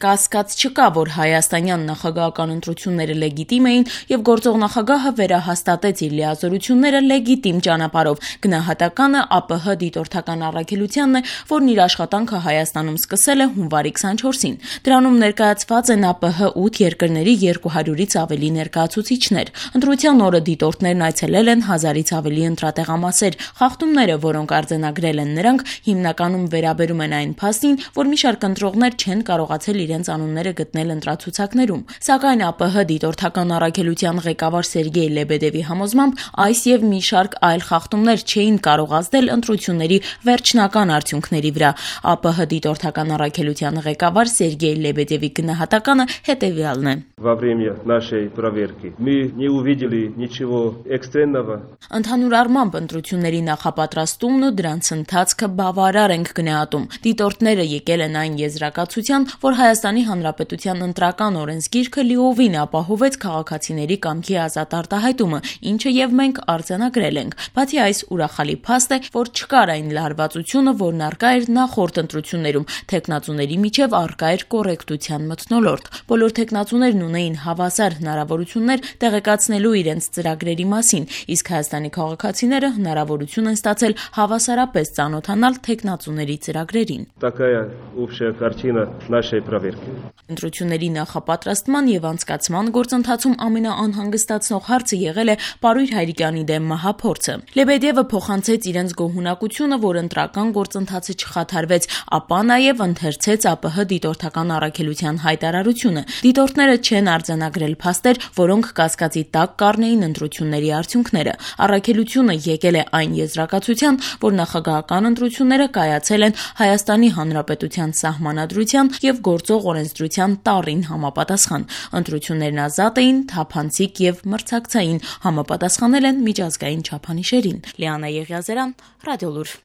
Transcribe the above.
կասկած չկա, որ հայաստանյան նախագահական ընտրությունները լեգիտիմ էին եւ գործող նախագահը վերահաստատեց իր լիազորությունները լեգիտիմ ճանապարհով։ Գնահատականը ԱՊՀ դիտորդական առաքելությանն է, որն իր աշխատանքը Հայաստանում սկսել է հունվարի 24-ին։ Դրանում ներկայացված են ԱՊՀ 8 երկրների 200-ից ավելի ներկայացուցիչներ։ Ընտրության օրը դիտորդներն այցելել են 1000-ից ավելի ընտրատեղամասեր։ Խախտումները, որոնք արձանագրել են նրանք, հիմնականում վերաբերում են այն փաստին, որ մի շարք ընտրողներ չեն կարողացել իրենց անունները գտնել ընտրացուցակներում։ Սակայն ԱՊՀ դիտորդական առաքելության ղեկավար Սերգեյ Լեբեդևի համոզմամբ այս եւ մի շարք այլ խախտումներ չէին կարող ազդել ընտրությունների վերջնական արդյունքների վրա։ ԱՊՀ դիտորդական առաքելության ղեկավար Սերգեյ Լեբեդևի գնահատականը հետեւյալն է. Во время нашей проверки мы не увидели ничего экстренного. Ընդհանուր առմամբ ընտրությունների նախապատրաստումն ու դրանց ընթացքը բավարար ենք գնահատում։ Դիտորդները եկել են այն եզրակացության, որ Հայաստանի Հանրապետության ընտրական օրենսգիրքը լիովին ապահովեց քաղաքացիների կամքի ազատ արտահայտումը, ինչը եւ մենք արձանագրել ենք։ Բացի այս, ուրախալի փաստ է, որ չկար այն լարվածությունը, որն առկա էր նախորդ ընտրություններում, թեկնածուների միջև առկա էր կոռեկտության մթնոլորտ։ Բոլոր թեկնածուներն ունեին հավասար հնարավորություններ տեղեկացնելու իրենց ծրագրերի մասին, իսկ Հայաստանի քաղաքացիները հնարավորություն են ստացել հավասարապես ծանոթանալ թեկնածուների ծրագրերին։ Такая общая картина нашей проверки. Ընտրությունների նախապատրաստման եւ անցկացման գործընթացում ամենաանհանգստացնող հարցը եղել է Պարույր Հայրիկյանի դեմ մահափորձը։ Լեբեդևը փոխանցեց իրենց գոհունակությունը, որ ընտրական գործընթացը չխաթարվեց, ապա նաեւ ընթերցեց ԱՊՀ դիտորդական առաքելության հայտարարությունը։ Դիտորդները չեն արձանագրել փաստեր, որոնք կասկածի տակ կառնեին ընտրությունների արդյունքները։ Առաքելությունը եկել է այն եզրակացության, որ նախագահական ընտրությունները կայացել են Հայաստանի Հանրապետության սահմանադրության եւ գործող օրենսդրության տառին համապատասխան։ Ընտրություններն ազատ էին, թափանցիկ եւ մրցակցային, համապատասխանել են միջազգային չափանիշերին։ Լիանա Եղիազարյան, Ռադիոլուր։